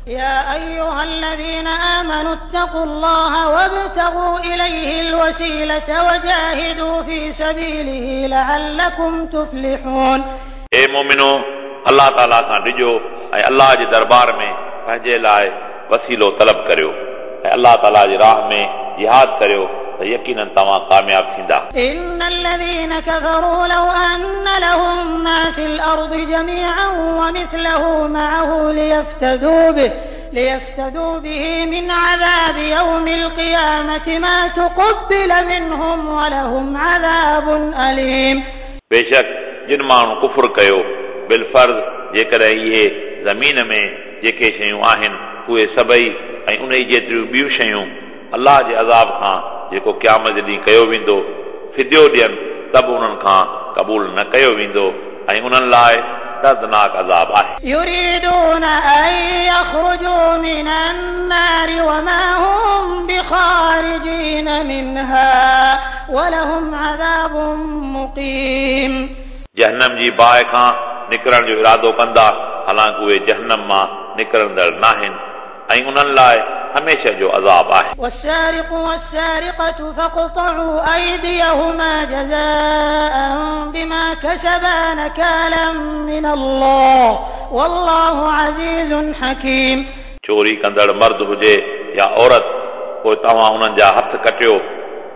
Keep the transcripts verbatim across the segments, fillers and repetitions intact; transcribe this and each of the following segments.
يا أيها الذين آمنوا اتقوا الله وابتغوا إليه الوسيلة وجاهدوا في سبيله لعلكم تفلحون. ए मोमिनो, अल्लाह ताला खां डिॼो ऐं अल्लाह जे दरबार में पंहिंजे लाइ वसीलो तलब करियो ऐं अल्लाह ताला जे राह में जिहाद करियो त यकीनन तव्हां कामयाब थींदा. إن الذين كفروا لو أن لهم ما في الأرض جميعا ومثله معه ليفتدوا به ليفتدوا به من عذاب يوم القيامة ما تقبل منهم ولهم عذاب أليم. बेशक जिन माण्हू कुफुर कयो बिलफर्ज़ जेकॾहिं इहे ज़मीन में जेके शयूं आहिनि उहे सभई ऐं उन जेतिरियूं ॿियूं शयूं अल्लाह जे अज़ाब खां जेको क़यामत जे ॾींहुं कयो वेंदो फिदियो ॾियनि त बि उन्हनि खां क़बूल न कयो वेंदो ऐं उन्हनि लाइ दर्दनाक अज़ाब आहे. يريدون أن يخرجوا من النار وما هم بخارجين منها ولهم عذاب مقيم. जहन्नम जी बाहि खां निकिरण जो इरादो कंदा हालांकि उहे जहन्नम मां निकिरंदड़ नाहिनि ऐं उन्हनि लाइ हमेशह जो अज़ाब आहे. والسارق والسارقة فاقطعوا أيديهما جزاء بما كسبا نكالا من الله والله عزيز حكيم. चोरी कंदड़ मर्द हुजे या औरत पोइ तव्हां उन्हनि जा हथ कटियो,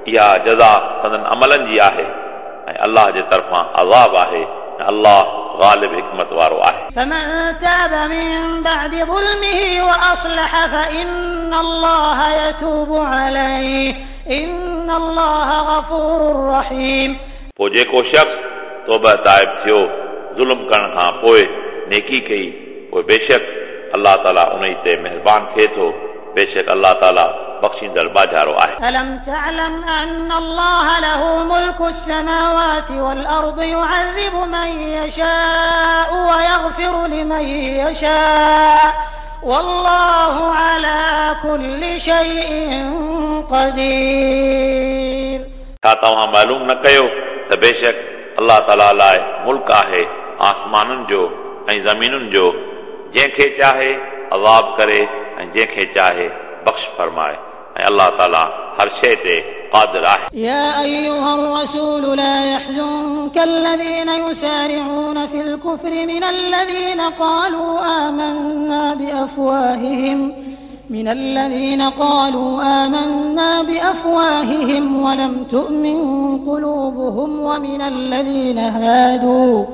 इहा जज़ा संदन अमलनि जी आहे ऐं अल्लाह जे तरफ़ां अज़ाब आहे ऐं अल्लाह ग़ालिब हिकमत वारो आहे. فمن تاب من بعد ظلمه وأصلح فإن الله يتوب عليه إن الله غفور رحيم. पोइ जेको शख़्स तौबा ताइब थियो ज़ुल्म करण खां पोइ नेकी कई पोइ बेशक अल्लाह ताला उन ते महिरबान थिए थो, बेशक अल्लाह ताला बख़्शींदड़ बाजारो आहे. ألم تعلم أن الله له ملك السماوات والأرض يعذب من يشاء ويغفر لمن يشاء والله على كل شيء قدير. छा तव्हां मालूम न कयो त बेशक अल्लाह ताला लाइ मुल्क आहे आसमानुनि जो ऐं ज़मीनुनि जो, जंहिंखे चाहे अज़ाब करे ऐं जंहिंखे चाहे बख़्श फरमाए ऐं अल्लाह ताला हर शइ ते क़ादिर आहे. يا أيها الرسول لا يحزنك الذين يسارعون في الكفر من الذين قالوا آمنا بأفواههم من الذين قالوا آمنا بأفواههم ولم تؤمن قلوبهم ومن الذين هادوا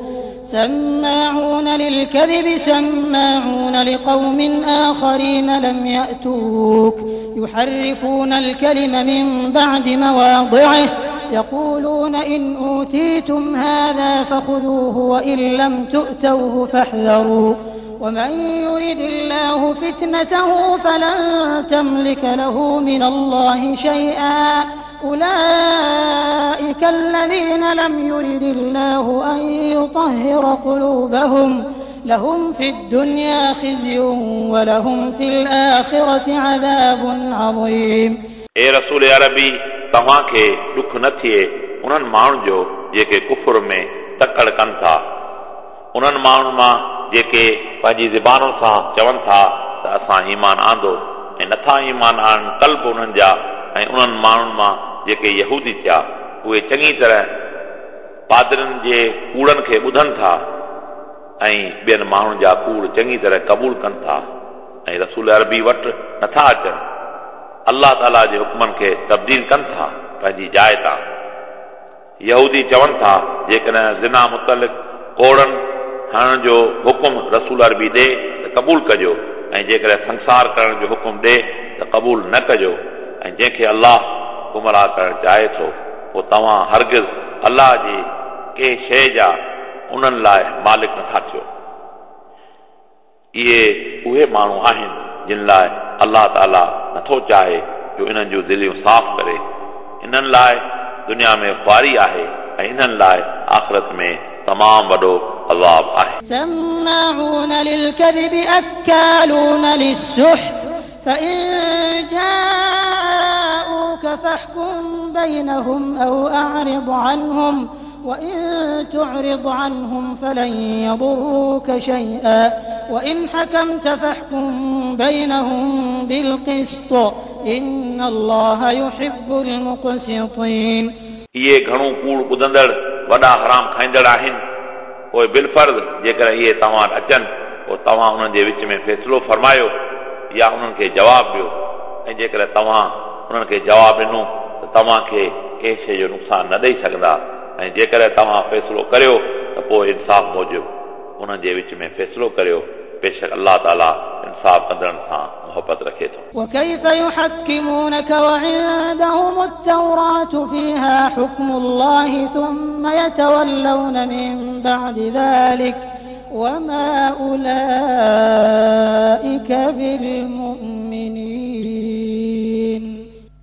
سماعون للكذب سماعون لقوم آخرين لم يأتوك يحرفون الكلم من بعد مواضعه يقولون إن أوتيتم هذا فخذوه وإن لم تؤتوه فاحذروا ومن يرد الله فتنته فلن تملك له من الله شيئا أولئك الذين لم يرد الله أن يطهر قلوبهم لهم في الدنيا خزي ولهم في الآخرة عذاب عظيم. ए रसूल अरबी, तव्हांखे ॾुख न थिए उन्हनि माण्हुनि जो जेके कुफुर में तकड़ कनि था, उन्हनि माण्हुनि मां जेके पंहिंजी ज़बानुनि सां चवनि था त असां ईमान आंदो ऐं नथा ईमान आणनि क़ल्ब उन्हनि जा, ऐं उन्हनि माण्हुनि मां जेके यहूदी थिया उहे चङी तरह पादरनि जे कूड़नि खे ॿुधनि था ऐं ॿियनि माण्हुनि जा कूड़ चङी तरह क़बूल कनि था ऐं रसूल अरबी वटि नथा अचनि, अल्लाह ताला जे हुक्मनि खे तब्दील कनि था पंहिंजी जाइ तां. यहूदी चवनि था जेकॾहिं ज़िना मुतलिक़ कोड़नि हणण जो हुकुम रसूल अरबी ॾे त क़बूल कजो ऐं जेकॾहिं संसार करण जो हुकुम ॾे त क़बूल न कजो, ऐं जंहिंखे अल्लाह गुमराह करणु चाहे थो पोइ तव्हां हरगिज़ अल्लाह जी कंहिं शइ जा उन्हनि लाइ मालिक नथा थियो. इहे उहे माण्हू आहिनि जिन लाइ अल्लाह ताला नथो चाहे जो इन्हनि जूं दिलियूं साफ़ करे, इन्हनि लाइ दुनिया में ख़्वारी आहे ऐं इन्हनि लाइ आख़िरत में तमामु वॾो अज़ाब आहे. سماعون للكذب أكالون للسحت فإن جاءوك فاحكم بينهم أو أعرض عنهم وإن تعرض عنهم فلن يضروك شيئا وإن حكمت فاحكم بينهم بالقسط إن الله يحب المقسطين. इहे घणो कूड़ ॿुधंदड़ वॾा हराम खाईंदड़ आहिनि। पोइ बिलफर्ज़ जेकर इहे तव्हां वटि अचनि पोइ तव्हां उन्हनि जे विच में फ़ैसिलो फरमायो या उन्हनि खे जवाबु ॾियो, ऐं जेकॾहिं तव्हां उन्हनि खे जवाबु ॾिनो त तव्हांखे कंहिं शइ जो नुक़सानु न ॾेई सघंदा, ऐं जेकॾहिं तव्हां फ़ैसिलो करियो त पोइ इंसाफ़ मूजिबि उन्हनि जे विच में फ़ैसिलो करियो। बेशक अलाह ताला इंसाफ़ कंदड़नि सां मोहबत रखे थो। وكيف يحكمونك وعندهم التوراة فيها حكم الله ثم يتولون من بعد ذلك وما أولئك بالمؤمنين.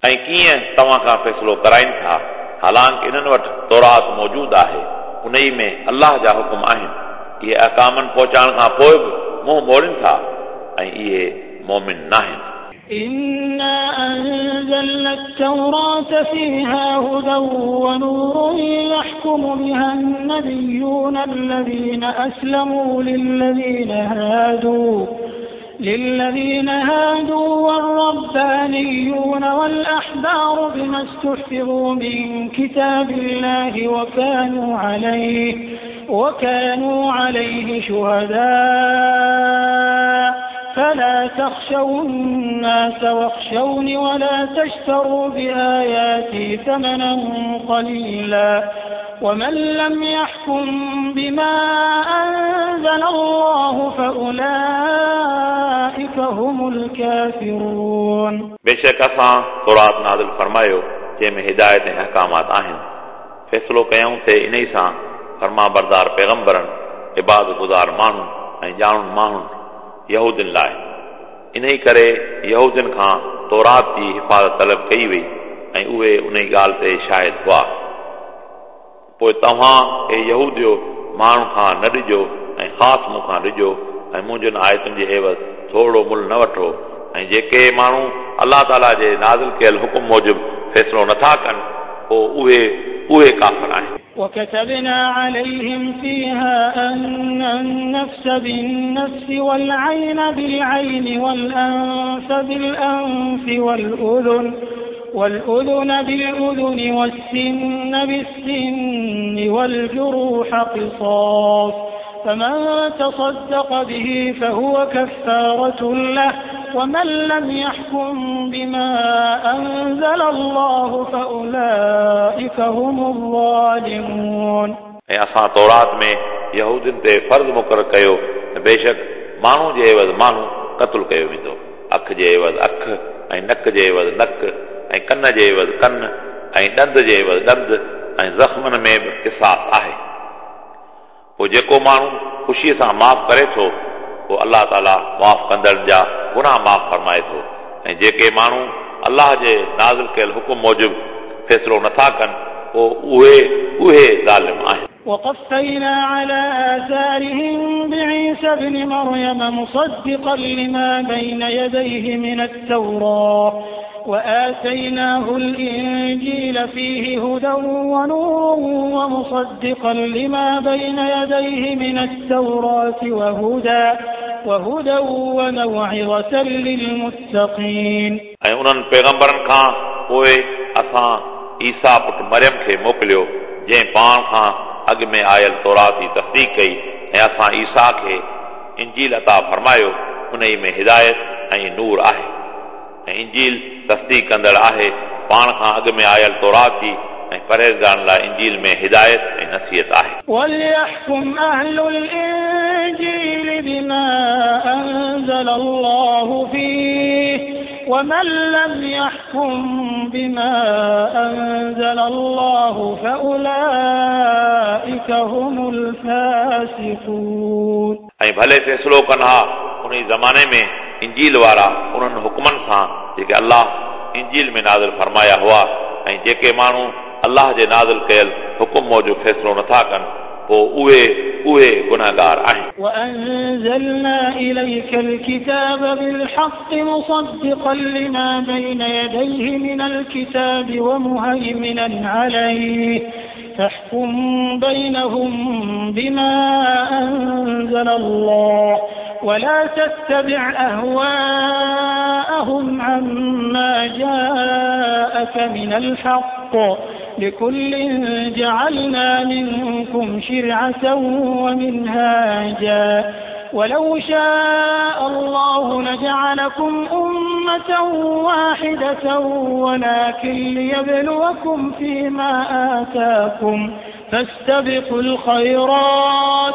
ऐं कीअं तव्हां खां फ़ैसिलो कराइनि था, हालांकि इन्हनि वटि तौरात मौजूदु आहे, उन ई में अलाह जा हुकुम आहिनि। इहे अहकामनि पहुचाइण खां पोइ बि मुंहुं मोड़नि था ऐं इहे मोमिन न आहिनि। إنا أنزلنا التوراة فيها هدى ونور يحكم بها النبيون الذين أسلموا للذين هادوا للذين هادوا والربانيون والأحبار بما استحفظوا من كتاب الله وكانوا عليه وكانوا عليه شهداء فلا تخشوا الناس واخشوني ولا تشتروا بآياتي ثمنا قليلا ومن لم يحكم بما أنزل الله فأولئك هم الكافرون. बेशक असां तौरात नाज़िल फरमायो जंहिं में हिदायत ऐं अहकामात आहिनि। फ़ैसिलो कयूं थे इन ई सां फरमा बरदार पैगम्बरनि, इबादत गुज़ार माण्हुनि ऐं ॼाणुनि माण्हुनि यहूदिन लाइ। इन ई करे यहूदिन खां तौरात जी हिफ़ाज़त तलब कई वई ऐं उहे उन ई ॻाल्हि ते शाहिद हुआ। पोइ तव्हां ए यहूदियो माण्हुनि खां न ॾिजो ऐं ख़ासि मूं खां ॾिजो ऐं मुंहिंजनि आयतुनि जे एवज़ थोरो मुल न वठो, ऐं जेके माण्हू अलाह ताला जे नाज़िल कयल हुकुम मूजिबि फ़ैसिलो नथा कनि पोइ उहे उहे काफ़िर आहिनि। وكتبنا عليهم فيها أن النفس بالنفس والعين بالعين والأنف بالأنف والأذن والأذن بالأذن والسن بالسن والجروح قصاص فمن تصدق به فهو كفارة له ومن لم يحكم بما أنزل الله فأولئك هم الظالمون. ऐं असां तौरात में यहूदिन ते फ़र्ज़ मुक़ररु कयो त बेशक माण्हू जे एवज़ माण्हू क़तलु कयो वेंदो, अखि जे एवज़ अखि ऐं नक जे एवज़ नक ऐं कन जे एवज़ कन ऐं ॾंद जे एवज़ ॾंद ऐं ज़ख़्मनि में बि क़िसास आहे। पोइ जेको माण्हू ख़ुशीअ सां माफ़ करे थो पोइ अलाह ताला माफ़ कंदड़नि जा गुनाह माफ़ फरमाए थो, ऐं जेके माण्हू अलाह जे नाज़िल कयल हुकुम मूजिबि फ़ैसिलो नथा कनि पोइ उहे उहे ज़ालिम आहिनि। وقفينا على آثارهم بعيسى ابن مريم مصدقا لما بين يديه من التوراة وآتيناه الإنجيل فيه هدى ونور ومصدقا لما بين يديه من التوراة وهدى وهدى وموعظة للمتقين. ऐं उन्हनि पैगम्बरनि खां पोइ असां ईसा पुट मरियम खे मोकिलियो जंहिं पाण खां अॻु में आयल तौरात जी तस्दीक कई, ऐं असां ईसा खे इंजील अता फरमायो, उन ई में हिदायत ऐं नूर आहे, ऐं इंजील तस्दीक कंदड़ आहे पाण खां अॻु में आयल तौरात जी, ऐं परहेज़गारनि लाइ इंजील में हिदायत ऐं नसीहत आहे। وليحكم أهل الإنجيل بما أنزل الله فيه ومن لم يحكم بما أنزل الله فأولئك هم الفاسقون. ऐं भले फ़ैसिलो कनि हा उन ई ज़माने में इंजील वारा उन्हनि हुकुमनि सां जेके अलाह इंजील में नाज़िल फरमाया हुआ, ऐं जेके माण्हू अलाह जे नाज़िल कयल हुकुम मूजिबि फ़ैसिलो नथा कनि पोइ उहे उहे गुनाहगार आहिनि। وأنزلنا إليك الكتاب بالحق مصدقا لما بين يديه من الكتاب ومهيمنا عليه فاحكم بينهم بما أنزل الله ولا تتبع أهواءهم عما جاءك من الحق لكل جعلنا منكم شرعة ومنهاجا ولو شاء الله لجعلكم أمة واحدة ولكن ليبلوكم فيما آتاكم فاستبقوا الخيرات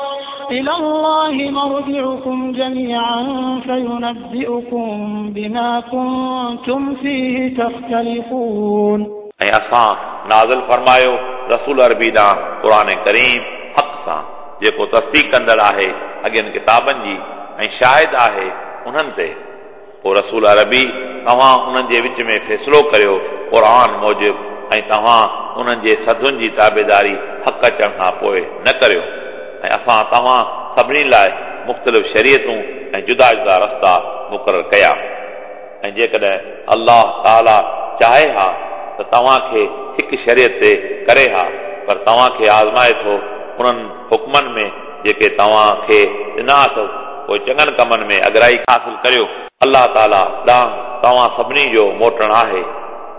إلى الله مرجعكم جميعا فينبئكم بما كنتم فيه تختلفون. ऐं असां नाज़िल फरमायो रसूल अरबी ॾांहुं क़ुर करीम हक़ सां जेको तस्दीक कंदड़ आहे अॻियनि किताबनि जी ऐं शाहिद आहे उन्हनि ते। पोइ रसूल अरबी तव्हां उन्हनि जे विच में फ़ैसिलो करियो क़ुर मूजिबि ऐं तव्हां उन्हनि जे सधुनि जी ताबेदारी हक़ अचण खां पोइ न करियो। ऐं असां तव्हां सभिनी लाइ मुख़्तलिफ़ शरीयतूं ऐं जुदा जुदा रस्ता मुक़ररु कया। ऐं जेकॾहिं अलाह ताला चाहे हा त तव्हांखे हिकु शरीयत ते करे हा, पर तव्हांखे आज़माए थो उन्हनि हुकमनि में जेके तव्हांखे ॾिना अथव, पोइ चङनि कमनि में अगराई हासिल करियो। अलाह ताला ॾांहुं तव्हां सभिनी जो मोटणु आहे,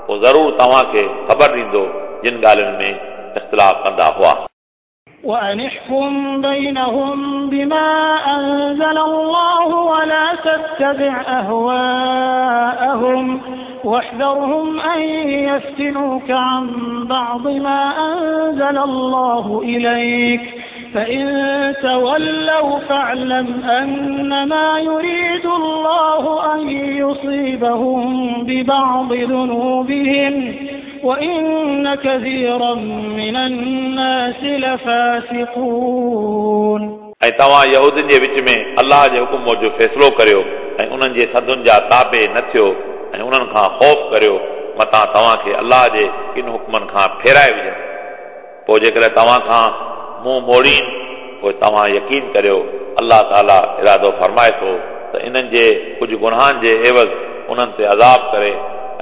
पोइ ज़रूरु तव्हांखे ख़बर ॾींदो जिन ॻाल्हियुनि में इख़्तिलाफ़ कंदा हुआ। وأن احكم بينهم بما أنزل الله ولا تتبع أهواءهم واحذرهم أن يفتنوك عن بعض ما أنزل الله إليك فإن تولوا فاعلم أنما يريد الله أن يصيبهم ببعض ذنوبهم وإن كثيرا من الناس لفاسقون. ऐं तव्हां यहूदियुनि जे विच में अलाह जे हुकुम मूजिबि फ़ैसिलो करियो ऐं उन्हनि जे सधुनि जा ताबे न थियो ऐं उन्हनि खां ख़ौफ़ करियो मतां तव्हांखे अलाह जे किन हुकमनि खां फेराए विझनि। पोइ जेकॾहिं तव्हां खां मुंहुं मोड़ीनि पोइ तव्हां यकीन करियो अलाह ताला इरादो फरमाए थो त इन्हनि जे कुझु गुनाहनि जे एवज़ उन्हनि ते अज़ाब करे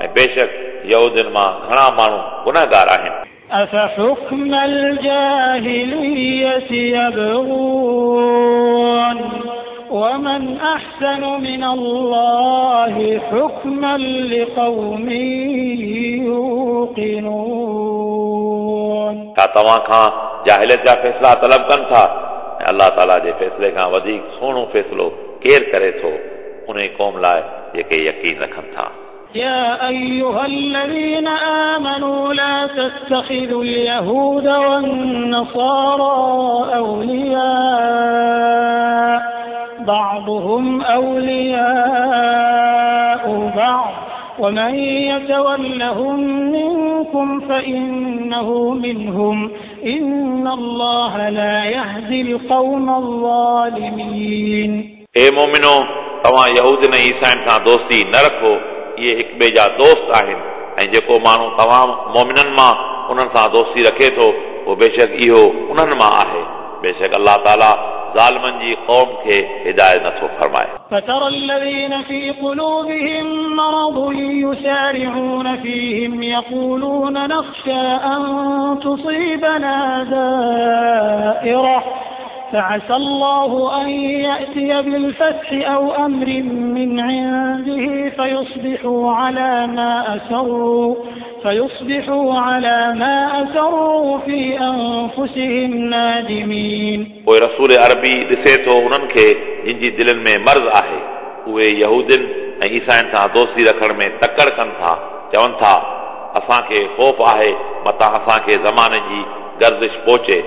ऐं बेशक यहूदियुनि मां घणा माण्हू गुनहगार आहिनि। أفحكم الجاهلية يبغون ومن أحسن من الله حكما لقوم يوقنون. छा तव्हां खां जाहिलियत जा फ़ैसिला तलब कनि था ऐं अलाह ताला जे फ़ैसिले खां वधीक सुहिणो फ़ैसिलो केरु करे थो उन क़ौम लाइ जेके यकीन रखनि था। يا أيها الذين آمنوا لا تتخذوا اليهود والنصارى أولياء بعضهم أولياء بعض ومن يتولهم منكم فإنه منهم إن الله لا يهدي القوم الظالمين. ए मोमिनो, तव्हां यहूदियुनि ऐं ईसाइनि सां दोस्ती न रखो, इहे हिक ॿिए जा दोस्त आहिनि ऐं जेको माण्हू तव्हां मोमिननि मां उन्हनि सां दोस्ती रखे थो उहो बेशक इहो उन्हनि मां आहे। बेशक अलाह ताला ज़ालिमनि जी क़ौम खे हिदायत नथो फरमाए। فترى الذين في قلوبهم مرض يسارعون فيهم يقولون نخشى أن تصيبنا دائرة فعسى الله أن يأتي بالفتح أو أمر من عنده فيصبحوا على ما أسروا فيصبحوا على ما أسروا في أنفسهم نادمين. पोइ रसूल अरबी ॾिसे थो उन्हनि खे जिन जी दिलनि में मर्ज़ आहे, उहे यहूदियुनि ऐं ईसाइनि सां दोस्ती रखण में तकड़ कनि था, चवनि था असांखे ख़ौफ़ आहे मतां असांखे ज़माने जी गर्दिश पहुचे।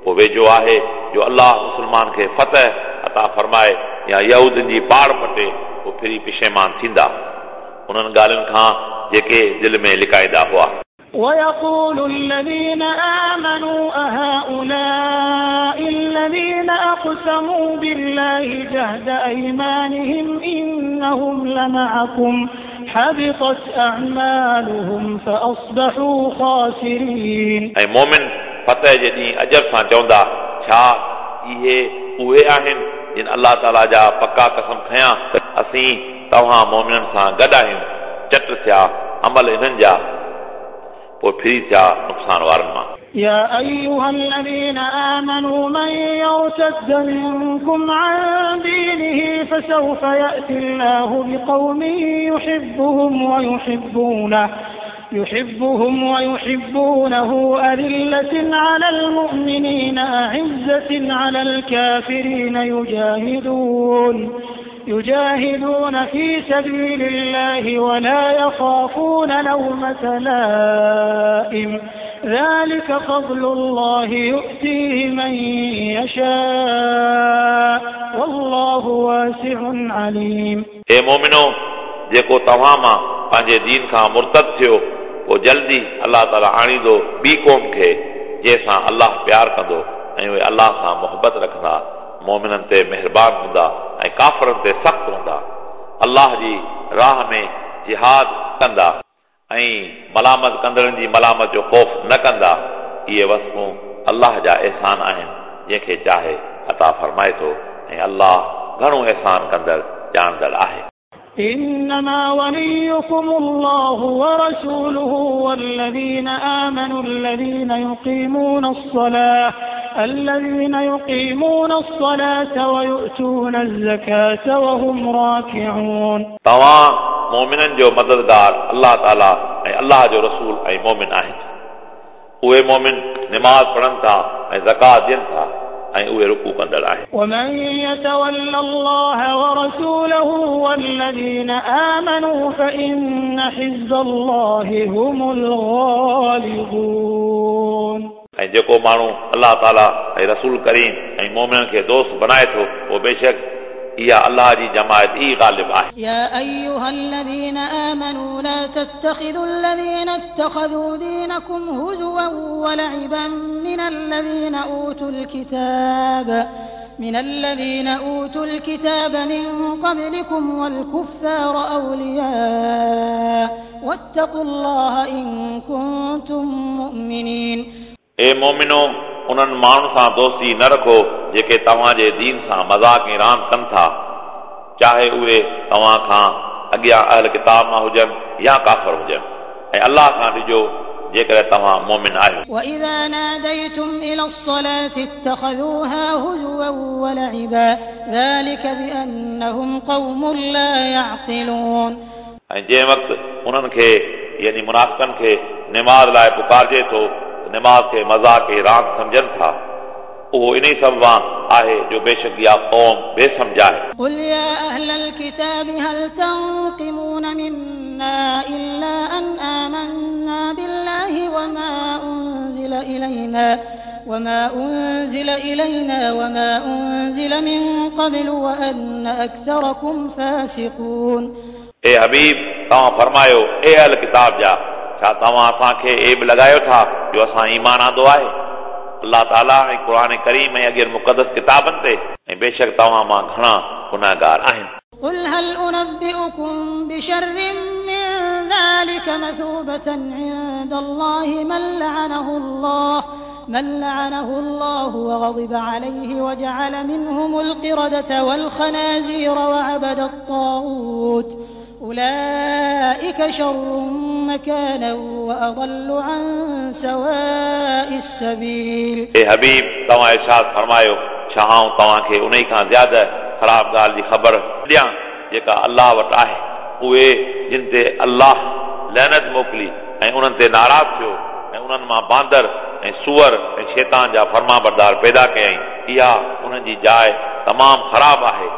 पोइ वेझो आहे जो अलाह मुसलमान खे फतह अता फरमाए या यहूदियुनि जी पाड़ पटे, पोइ फिरी पिशेमान थींदा उन्हनि ॻाल्हियुनि खां जेके दिलि में लिकाईंदा हुआ। ويقول الذين آمنوا أهؤلاء الذين أقسموا بالله جهد أيمانهم إنهم لمعكم حبطت أعمالهم فأصبحوا خاسرين. ऐं मोमिन फतह जे ॾींहुं अजब सां चवंदा, छा इहे उहे आहिनि जिन अलाह ताला जा पका कसम खयां त असीं तव्हां मोमिननि सां गॾु आहियूं, चट थिया अमल इन्हनि जा, पोइ फिरी थिया नुक़सान वारनि मां। يا أيها الذين آمنوا من يرتد منكم عن دينه فسوف يأتي الله بقوم يحبهم ويحبونه يحبهم ويحبونه أذلة على المؤمنين أعزة على الكافرين يجاهدون يجاهدون في سبيل الله ولا يخافون لومة لائم ذلك فضل الله يؤتيه من يشاء والله واسع عليم. اے مومنو، جيڪو توهان مان پنهنجي دين کان مرتد ٿيو پوءِ جلدي الله تعاليٰ آڻيندو ٻي قوم کي جنهن سان الله پيار ڪندو ۽ اهي الله سان محبت رکندا، مومنن تي مهربان هوندا ۽ ڪافرن تي سخت هوندا، الله جي راهه ۾ جهاد ڪندا ۽ ملامت ڪندڙن جي ملامت جو خوف نه ڪندا. اهي وصفون الله جا احسان آهن جنهن کي چاهي عطا فرمائي ٿو ۽ الله گهڻو احسان ڪندڙ ڄاڻندڙ آهي. إنما وليكم الله ورسوله والذين آمنوا الذين يقيمون الصلاة الذين يقيمون الصلاة ويؤتون الزكاة وهم راكعون. توهان مؤمنن جو مددگار الله تعاليٰ ۽ الله جو رسول ۽ مؤمن آهن. اهي مؤمن نماز پڙهن ٿا ۽ زڪوات ڏين ٿا ۽ اهي رڪوع ڪندڙ آهن. ومن يتول الله ورسوله والذين آمنوا فإن حزب الله هم الغالبون. ۽ جيڪو ماڻهو الله تعاليٰ ۽ رسول ڪريم ۽ مؤمنن کي دوست بڻائي ٿو اهو بيشڪ اها الله جي جماعت ئي غالب آهي. يا أيها الذين آمنوا لا تتخذوا الذين اتخذوا دينكم هزوا ولعبا من الذين أوتوا الكتاب من الذين أوتوا الكتاب من قبلكم والكفار أولياء واتقوا الله إن كنتم مؤمنين. اے مومنو، انهن ماڻهن سان دوستي نه رکو جيڪي توهان جي دين سان مذاق ۽ راند ڪن ٿا، چاهي اهي توهان کان اڳيان اهل ڪتاب مان هجن يا ڪافر هجن، ۽ الله کان ڊڄو جيڪڏهن توهان مؤمن آهيو. وإذا ناديتم إلى الصلاة اتخذوها هزوا ولعبا ذلك بأنهم قوم لا يعقلون. ۽ جنهن وقت انهن کي يعني منافقن کي نماز لاءِ پڪارجي ٿو نماز کي مذاق ۽ راند سمجهن ٿا، اهو انهي سبب آهي جو بيشڪ اها قوم بي سمجهه آهي. قل يا أهل الكتاب هل تنقمون منا إلا أن آمنا بالله وما أنزل إلينا وما أنزل إلينا وما أنزل من قبل وأن أكثركم فاسقون. اي حبيب، توهان فرمايو اي اهل ڪتاب جا، ڇا توهان اسان کي عيب لڳايو ٿا جو اسان ايمان آندو آهي الله تعاليٰ ۽ قرآن ڪريم ۽ اڳين مقدس ڪتابن تي، ۽ بيشڪ توهان مان گهڻا گناهگار آهن. قل هل أنبئكم بشر من ذلك مثوبة عند الله من لعنه الله من لعنه الله وغضب عليه وجعل منهم القردة والخنازير وعبد الطاغوت أولئك شر مكانا وأضل عن سواء السبيل. اي حبيب، توهان ارشاد فرمايو ڇا آئون توهان کي انهي کان زياده خراب ڳالهه جي خبر ڏيان جيڪا الله وٽ آهي؟ اهي جن تي الله لعنت موڪلي ۽ انهن تي ناراض ٿيو ۽ انهن مان باندر ۽ سوئر ۽ شيطان جا فرمانبردار پيدا ڪيائين، اها انهن جي جاءِ تمام خراب آهي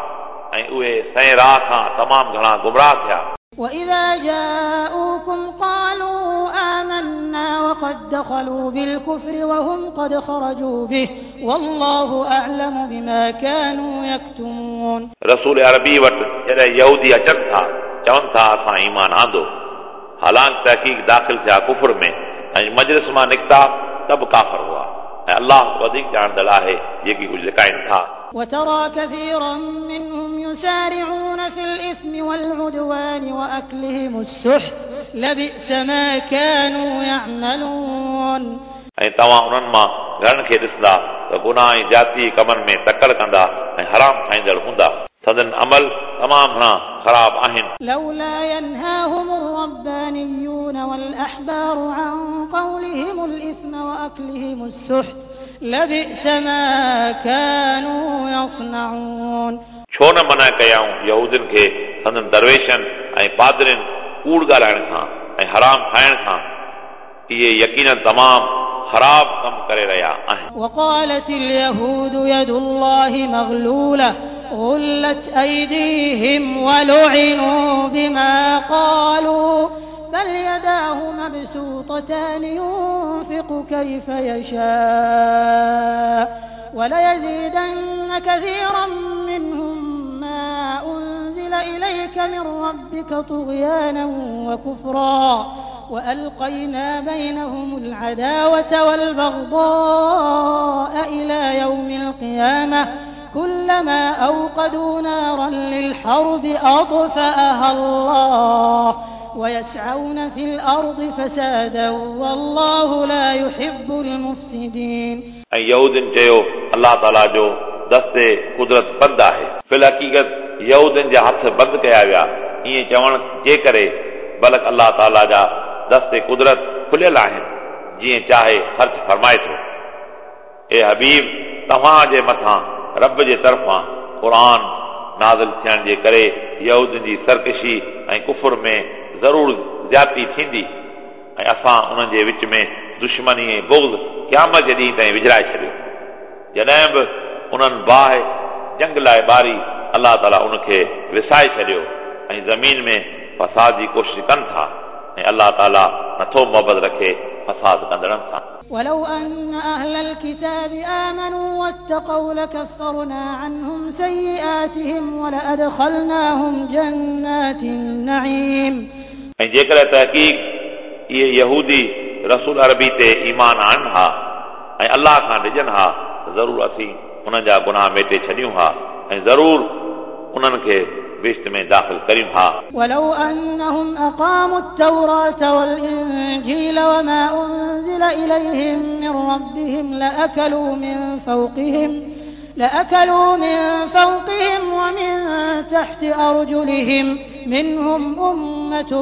۽ اهي سئين راهه کان تمام گهڻا گمراهه ٿيا. وإذا جاءوكم قالوا آمنا وقد دخلوا بالكفر وهم قد خرجوا به والله أعلم بما كانوا يكتمون. رسول عربي وٽ جڏهن يهودي اچن ٿا چون ٿا اسان ايمان آندو، حالانڪ تحقيق داخل ٿيا ڪفر ۾ ۽ مجلس مان نڪتا ته به ڪافر هئا، ۽ الله وڌيڪ ڄاڻندڙ آهي جيڪي ڪجهه لڪائن ٿا. وترى كثيرا منهم يسارعون في الإثم والعدوان وأكلهم السحت لبئس ما كانوا يعملون. ۽ توهان انهن مان گهڻن کي ڏسندا ته گناهه ۽ زيادتي ڪمن ۾ تڪڙ ڪندا ۽ حرام کائيندڙ هوندا. संदन अमल तमामु घणा ख़राब आहिनि। لولا ينهاهم الربانيون والأحبار عن قولهم الإثم وأكلهم السحت لبئس ما كانوا يصنعون। छो न मना कयाऊं यहूदियुनि खे संदन दरवेशनि ऐं पादरियुनि कूड़ ॻाल्हाइण खां ऐं हराम खाइण खां। इहे यकीनन तमामु ख़राब कमु करे रहिया आहिनि। وقالت اليهود يد الله مغلولة غلت أيديهم ولعنوا بما قالوا بل يداه مبسوطتان ينفق كيف يشاء وليزيدن كثيرا منهم ما أنزل إليك من ربك طغيانا وكفرا وألقينا بينهم العداوة والبغضاء إلى يوم القيامة كلما أوقدوا نارا للحرب أطفأها الله ويسعون في الأرض فسادا والله لا يحب المفسدين। ऐं यहूदियुनि चयो अलाह ताला जो दस्ते कुदरत बंदि आहे। फिल हक़ीक़त यहूदियुनि जा हथ बंदि कया विया ईअं चवण जे करे, बल्कि अलाह ताला जा दस्ते कुदरत खुलियल आहिनि, जीअं चाहे ख़र्च फरमाए थो। ए हबीब, तव्हां जे मथां रब जे तरफ़ां क़ुर नाज़िल थियण जे करे यहूदियुनि जी सरकशी ऐं कुफुर में ज़रूर ज़्यादती थींदी ऐं असां उन्हनि जे विच में दुश्मनी ऐं बुग़्ज़ क़यामत जे ॾींहं ताईं विझाए छॾियो। जॾहिं बि उन्हनि बाहि जंग लाइ ॿारी अलाह ताला उनखे विसाए छॾियो ऐं ज़मीन में फसाद जी कोशिश कनि था ऐं अलाह ताला नथो मोहबत रखे फसाद कंदड़नि सां। ولو أن أهل الكتاب آمنوا واتقوا لكفرنا عنهم سيئاتهم ولأدخلناهم جنات النعيم। ऐं जेकॾहिं तहक़ीक़ इहे यहूदी रसूल अरबी ते ईमान आणनि हा ऐं अलाह खां डिॼनि हा त ज़रूर असीं उन्हनि जा गुनाह मेटे छॾियूं हा ऐं ज़रूर उन्हनि खे बहिश्त में दाख़िल करियूं हा। ولو أنهم أقاموا التوراة والإنجيل وما أنزل إليهم من ربهم لأكلوا من فوقهم لأكلوا من فوقهم ومن تحت أرجلهم منهم أمة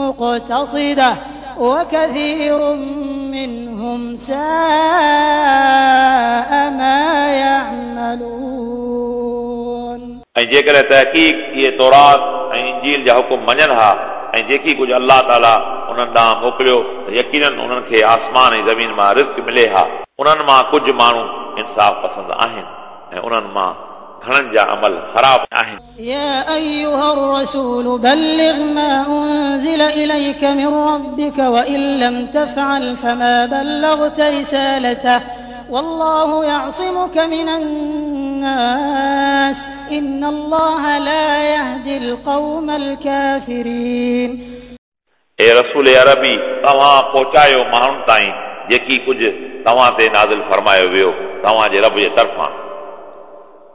مقتصدة وكثير منهم ساء ما يعملون। ऐं जेकॾहिं तहक़ीक़ इहे तौरात ऐं इंजील जा हुकुम मञनि हा ऐं जेकी कुझु अलाह ताला उन्हनि ॾांहुं मोकिलियो त यकीनन उन्हनि खे आसमान ऐं ज़मीन मां रिज़्क मिले हा। उन्हनि मां कुझु माण्हू इंसाफ़ पसंदि आहिनि ऐं उन्हनि मां घणनि जा अमल ख़राब आहिनि। يا أيها الرسول بلغ ما أنزل إليك من ربك وإن لم تفعل فما بلغت رسالته والله يعصمك من الناس إن الله لا يهدي القوم الكافرين। ए रसूल अरबी, तव्हां पहुचायो माण्हुनि ताईं जेकी कुझु तव्हां ते नाज़िल फरमायो वियो तव्हांजे रब जे तरफ़ां,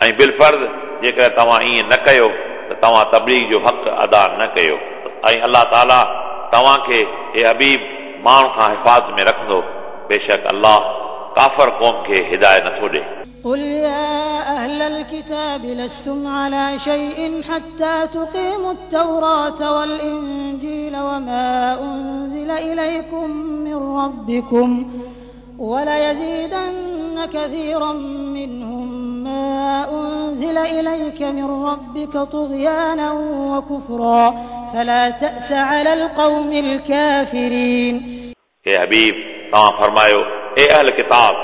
ऐं बिलफर्ज़ जेकॾहिं तव्हां ईअं न कयो त तव्हां तबलीग जो हक़ अदा न कयो ऐं अलाह ताला तव्हांखे ए हबीब माण्हू खां हिफाज़त में रखंदो। बेशक अलाह काफ़र क़ौम खे हिदायत नथो ॾिए। قل يا أهل الكتاب لستم على شيء حتى تقيموا التوراة والإنجيل وما أنزل إليكم من ربكم وليزيدن كثيرا منهم ما أنزل إليك من ربك طغيانا وكفرا فلا تأس على القوم الكافرين. ए हबीब, तव्हां फरमायो, ए अहल किताब,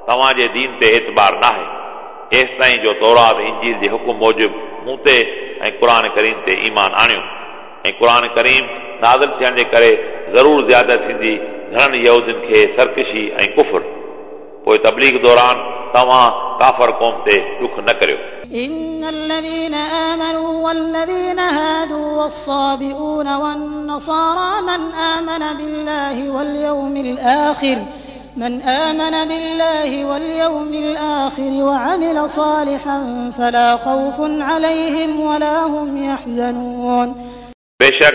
तव्हांजे दीन ते एतबार नाहे एसि ताईं जो तौरात इंजील जे हुकुम मूजिबि मूं ते ऐं क़ुर करीम ते ईमान आणियो ऐं क़ुर करीम नाज़िल थियण जे करे ज़रूर ज़्यादा थींदी घणनि यहूदियुनि खे सरकशी ऐं कुफर। पोइ तबलीग दौरान तव्हां काफ़र क़ौम ते ॾुख न करियो। إن الذين آمنوا والذين هادوا والصابئون والنصارى من آمن بالله واليوم الآخر من آمن بالله واليوم الآخر وعمل صالحا فلا خوف عليهم ولا هم يحزنون. बेशक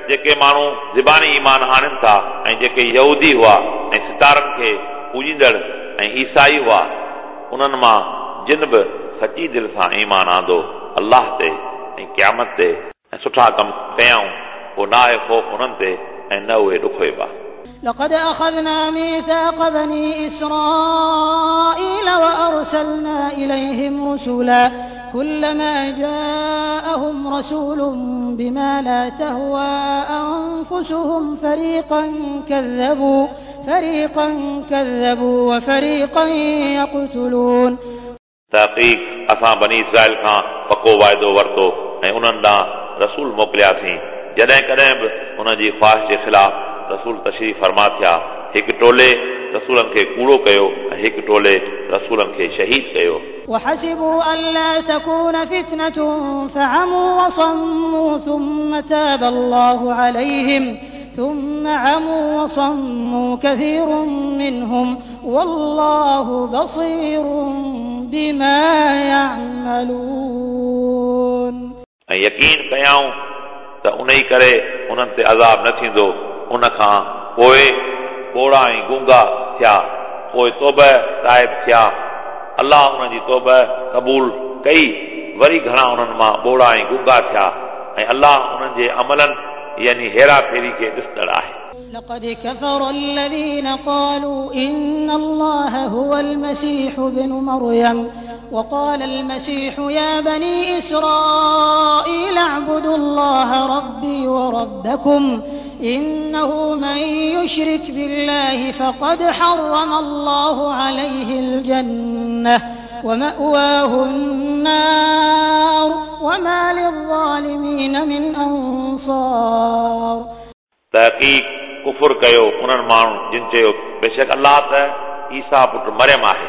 जेके माण्हू ज़बानी ईमान आणनि था ऐं जेके यहूदी हुआ ऐं सितारनि खे पूजींदड़ ऐं ईसाई हुआ, उन्हनि मां जिन बि सची दिलि सां ईमान आंदो अल्लाह ते ऐं क़यामत ते ऐं सुठा कम कयाऊं पोइ न आहे ख़ौफ़ उन्हनि ते ऐं न उहे ॾुखोइबा। لقد أخذنا ميثاق بني إسرائيل وأرسلنا إليهم رسلا كلما جاءهم رسول بما لا تهوى أنفسهم فريقا كذبوا فريقا كذبوا وفريقا يقتلون। तहक़ीक़ असां बनी इसराइल खां पको वाइदो वरितो ऐं उन्हनि ॾांहुं रसूल मोकिलियासीं जॾहिं कॾहिं बि उन्हनि जी ख़्वाहिश जे ख़िलाफ़ रसूल तशरीफ़ फरमा थिया हिकु टोले रसूलनि खे कूड़ो कयो ऐं हिकु टोले रसूलनि खे शहीद कयो। وحسبوا ألا تكون فتنة فعموا وصموا ثم تاب الله عليهم ثم عموا وصموا كثير منهم والله بصير بما يعملون। ऐं यकीन कयाऊं त उन ई करे उन्हनि ते अज़ाब न थींदो। उन खां पोइ ॿोड़ा ऐं गूंगा थिया पोइ तौबा ताइब थिया अल्लाह उन्हनि जी तौबा क़बूल कई वरी घणा उन्हनि मां ॿोड़ा ऐं गूंगा थिया ऐं अल्लाह उन्हनि जे अमलनि यानी हेरा फेरी खे ॾिसंदड़ आहे। لقد كفر الذين قالوا إن الله هو المسيح ابن مريم وقال المسيح يا بني إسرائيل اعبدوا الله ربي وربكم إنه من يشرك بالله فقد حرم الله عليه الجنة ومأواه النار وما للظالمين من أنصار। तहक़ीक़ कुफुर कयो उन्हनि माण्हुनि जिन चयो बेशक अल्लाह त ईसा पुट मरियम आहे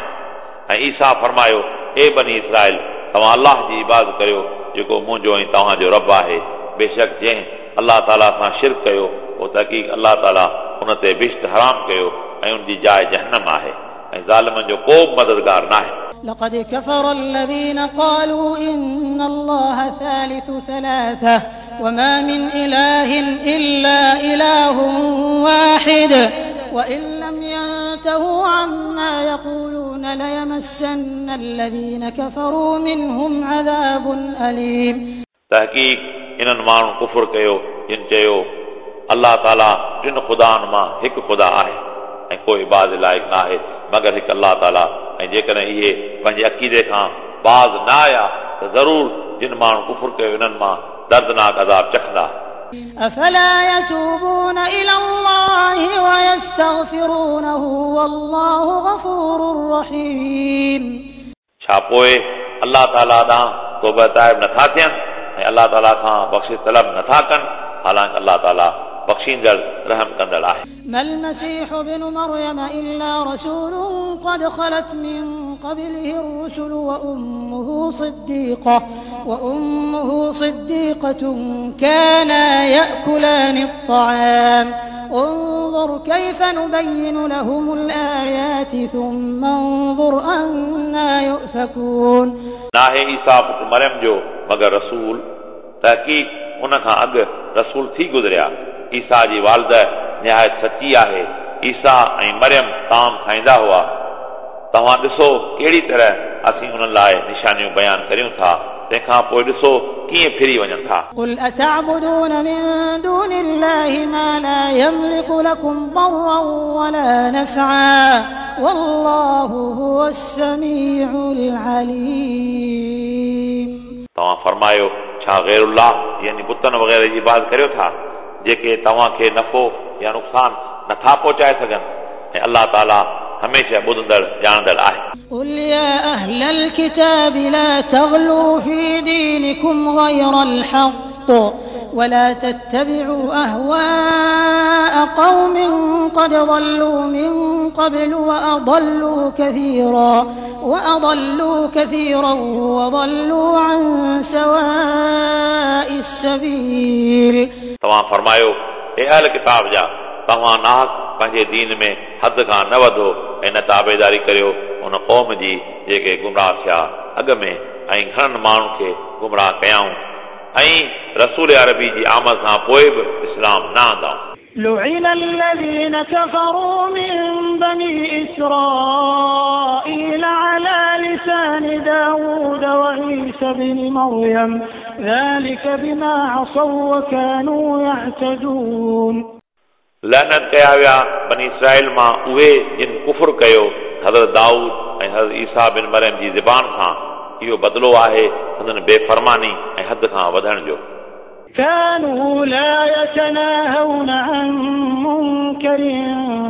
ऐं ईसा फरमायो ए बनी इसराइल तव्हां अल्लाह जी इबादत कयो जेको मुंहिंजो ऐं तव्हांजो रब आहे। बेशक जंहिं अल्लाह ताला सां शिरक कयो उहो तहक़ीक़ अल्लाह ताला उन ते बिश्त हराम कयो ऐं उनजी जाइ जहन्नम आहे ऐं ज़ालिमनि जो को बि मददगार न आहे। لقد كفر الذين قالوا إن الله ثالث ثلاثة وما من إله إلا إله واحد وإن لم ينتهوا عما يقولون ليمسن الذين كفروا منهم عذاب أليم। तहक़ीक़ इन्हनि माण्हुनि कुफुर कयो जिन चयो अल्लाह ताला टिनि ख़ुदानि मां हिकु ख़ुदा आहे ऐं कोई इबादत लाइक़ न आहे मगर हिकु अल्लाह ताला ऐं जेकॾहिं इहे पंहिंजे अक़ीदे खां बाज़ न आया त ज़रूर जिन माण्हुनि कुफुर कयो इन्हनि मां दर्दनाक अज़ाब चखंदा। أفلا يتوبون إلى الله ويستغفرونه والله غفور رحيم। छा पोइ अल्लाह ताला ॾांहुं तौबा ताइब नथा थियनि ऐं अल्लाह ताला खां बख़्शिश तलब नथा कनि हालांकि अल्लाह ताला बख़्शींदड़ रहम कंदड़ आहे। ما المسيح ابن مريم إلا رسول قد خلت من قبله الرسل وأمه صديقة وأمه صديقة كانا يأكلان الطعام انظر كيف نبين لهم الآيات ثم انظر أنا يؤفكون. नाहे ईसा पुट मरियम जो मगर रसूल तहक़ीक़ उन खां अॻु रसूल थी गुज़रिया। ईसा जी वालदा निहायत सची आहे। ईसा ऐं मरियम ताम खाईंदा हुआ। तव्हां ॾिसो कहिड़ी तरह असीं उन्हनि लाइ निशानियूं बयानु करियूं था तंहिंखां पोइ ॾिसो कीअं फिरी वञनि था। قل أتعبدون من دون الله ما لا يملك لكم ضرا ولا نفعا والله هو السميع العليم. तव्हां फरमायो छा ग़ैरुल्लाह यानी बुतनि वग़ैरह जी इबादत करियो था जेके तव्हांखे नफ़ो या नुक़सानु नथा पहुचाए सघनि ऐं अल्लाह ताला हमेशह ॿुधंदड़ ॼाणंदड़ आहे। قل يا أهل الكتاب لا تغلوا في دينكم غير الحق ولا تتبعوا أهواء قوم قد ضلوا من قبل وأضلوا كثيرا وأضلوا كثيرا وضلوا عن سواء السبيل. तव्हां फरमायो ए अहल किताब जा तव्हां नाहक पंहिंजे दीन में हद खां न वधो ऐं न ताबेदारी करियो उन क़ौम जी जेके गुमराह थिया अॻु में ऐं घणनि माण्हुनि खे गुमराह कयाऊं ऐं रसूल अरबी जी आमद खां पोइ बि इस्लाम न आंदाऊं। لعن الذين كفروا من بني إسرائيل على لسان داود وعيسى بن مريم ذلك بما عصوا وكانوا يعتدون. لعنت कया विया बनी इसराइल मां उहे जिन कुफर कयो हज़रत दाऊद ऐं हज़रत ईसा बिन मरियम जी ज़बान सां। इहो बदिलो आहे संदन बेफरमानी ऐं हद खां वधण जो। كانوا لا يتناهون عن منكر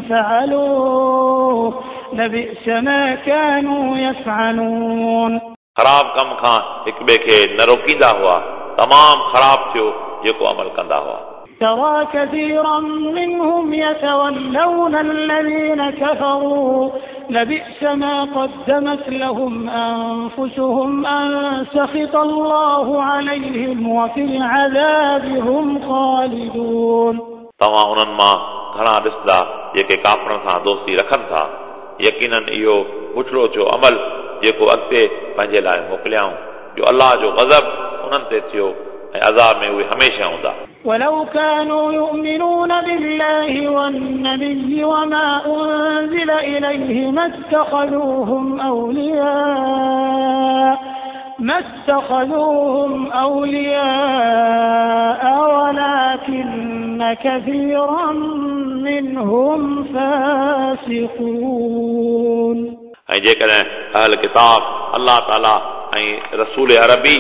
فعلوه لبئس ما كانوا يفعلون. ख़राब कम खां हिक ॿिए खे न रोकींदा हुआ, तमामु ख़राब थियो जेको अमल कंदा हुआ। ترى كثيرا منهم يتولون الذين كفروا لبئس ما قدمت لهم أنفسهم أن سخط الله عليهم وفي العذاب هم خالدون. तव्हां उन्हनि मां घणा ॾिसंदा जेके काफ़रनि सां दोस्ती रखनि था। यकीनन इहो बुछड़ो थियो अमल जेको अॻिते पंहिंजे लाइ मोकिलियऊं, जो अलाह जो ग़ज़ब उन्हनि ते थियो ऐं अज़ाब में उहे हमेशह हूंदा। ولو كانوا يؤمنون بالله والنبي وما أنزل إليه ما اتخذوهم أولياء ما اتخذوهم أولياء ولكن كثيرا منهم فاسقون. ऐं जेकॾहिं अहल किताब अलाह ताला ऐं रसूल अरबी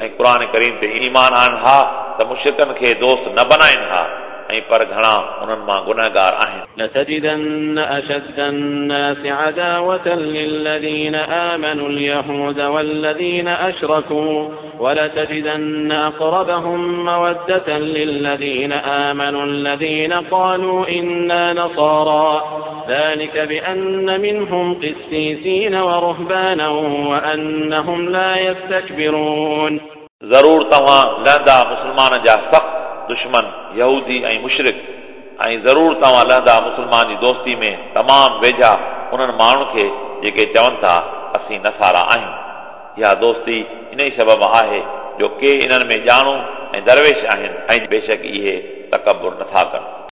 ऐं क़ुर करीम ते ईमान आणनि हा त मुश्रिकनि खे दोस्त न बनाइनि हा, ऐं पर घणा उन्हनि मां गुनहगार आहिनि। لتجدن أشد الناس عداوة للذين آمنوا اليهود والذين أشركوا ولتجدن أقربهم مودة للذين آمنوا الذين قالوا إنا نصارى ذلك بأن منهم قسيسين ورهبانا وأنهم لا يستكبرون. ज़रूर तव्हां लहंदा मुस्लमाननि जा सख़्त दुश्मन यहूदी ऐं मुशरिक, ऐं ज़रूर तव्हां लहंदा मुस्लमान जी दोस्ती में तमामु वेझा उन्हनि माण्हुनि खे जेके चवनि था असीं नसारा आहियूं। इहा दोस्ती इन ई सबब आहे जो के इन्हनि में ॼाणू ऐं दरवेश आहिनि, ऐं बेशक इहे तकबुर नथा कनि।